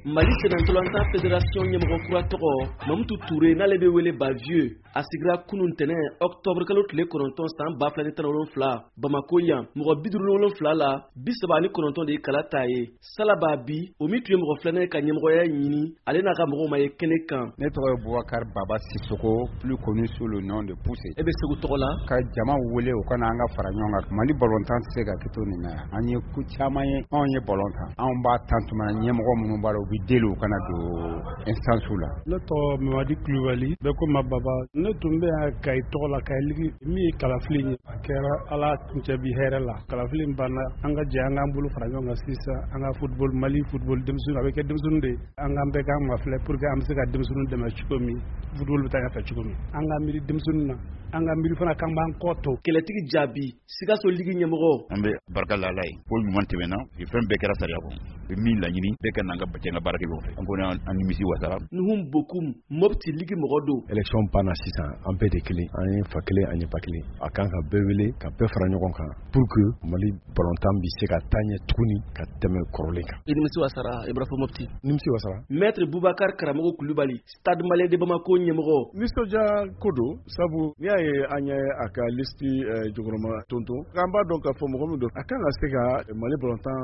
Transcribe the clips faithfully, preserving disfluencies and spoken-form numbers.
Mali sennantolatan fédération ɲɛmɔgɔ kura tɔgɔ Mamutu Ture, n'ale bɛ wele Bavieux, a sigira kunun tɛnɛ octobre kalo tile kɔnɔntɔn san ba fila ni tan ni wolonfila Bamako yan. Mɔgɔ bi duuru ni wolonfila la, bi saba ni kɔnɔntɔn de ye kala ta ye. Salaba bi, o min tun ye mɔgɔ filanan ye ka ɲɛmɔgɔya ɲini, ale n'a ka mɔgɔw ma ye kɛnɛ kan. Ne tɔgɔ ye Bubakari Baba Sisoko, plus connu sous le nom de Pousse. E bɛ Segu tɔgɔ la. Ka jama wele u kana an ka fara ɲɔgɔn kan. Mali balontan tɛ se ka kɛ to nin na. An ye ko caman ye. Anw ye balon tan, anw b'a tan tuma ɲɛmɔgɔ minnu b'a la, u bɛ deli u kana don instance la. Ne tɔgɔ Mamadi Kulubali, bɛɛ ko ma Baba. Ne tun bɛ yan Kayi tɔgɔ la, Kayi Ligue. Min ye kalafili ye, a kɛra Ala kuncɛ bi hɛrɛ la. Kalafili in banna, an ka jɛ an k'an bolo fara ɲɔgɔn kan sisan, an ka football, Mali football denmisɛnnin, a bɛ kɛ denmisɛnnin de ye. An k'an bɛɛ k'an mafilɛ pour que an bɛ se ka denmisɛnninw dɛmɛ cogo min, football bɛ taa ɲɛfɛ cogo min. An ka miiri denmisɛnninw na, an ka miiri fana k'an b'an kɔ to. Kɛlɛtigi jaabi, Sikaso Ligue ɲɛmɔgɔ. An bɛ barika la Ala ye ko ɲuman tɛmɛna, fɛn bɛɛ kɛra sariya kɔnɔ. Min laɲini bɛɛ ka n'an ka jɛ ka baara kɛ ɲɔgɔn fɛ, an kɔni an nimisi wasara. Nuhum Bokum, Mopti Ligue mɔgɔ don. Élection banna sisan, an bɛɛ de kelen, an ye fa kelen, an ye ba kelen. A kan ka bɛɛ wele ka bɛɛ fara ɲɔgɔn kan pour que Mali balontan bi se ka taa ɲɛ tuguni ka tɛmɛ kɔrɔlen kan. I nimisi wasara, i bɔra fɔ Mopti. Nimisi wasara. Maître Boubacar Karamɔgɔ Kulubali, Stade Malien de Bamako ɲɛmɔgɔ. Nisɔndiya ko don, sabu n'i y'a ye an ye a ka liste jɔkɔrɔma tonton, an b'a dɔn k'a fɔ mɔgɔ min don, a kan ka se ka Mali balontan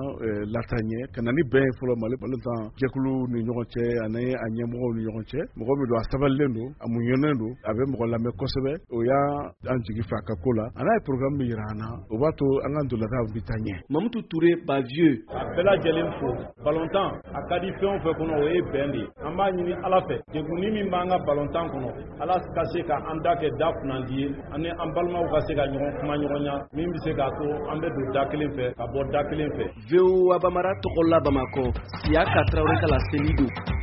lataa ɲɛ, ka na ni bɛn ye fɔlɔ Mali balontan jɛkulu ni ɲɔgɔn cɛ ani a ɲɛmɔgɔw ni ɲɔgɔn cɛ. Mɔgɔ min don, a sabalilen don, a muɲunen don, a bɛ mɔgɔ lamɛn kosɛbɛ. O y'an jigi fɛ a ka ko la. A n'a ye programme min yira an na, o b'a to an ka ntolantan bɛ taa ɲɛ. Mamutu Ture Bavieux. A bɛɛ lajɛlen fo. Balontan a ka di fɛn o fɛn kɔnɔ, o ye bɛn de ye. An b'a ɲini Ala fɛ, degunni min b'an ka balontan kɔnɔ, Ala ka se ka an da kɛ da kunnandi ye, ani an balimaw ka se ka ɲɔgɔn kuma ɲɔgɔnya min bɛ se k'a to an bɛ don da kelen fɛ ka bɔ da kelen fɛ. V O A Bamara tɔgɔ la Bamakɔ, Siyaka Tarawele ka laseli don.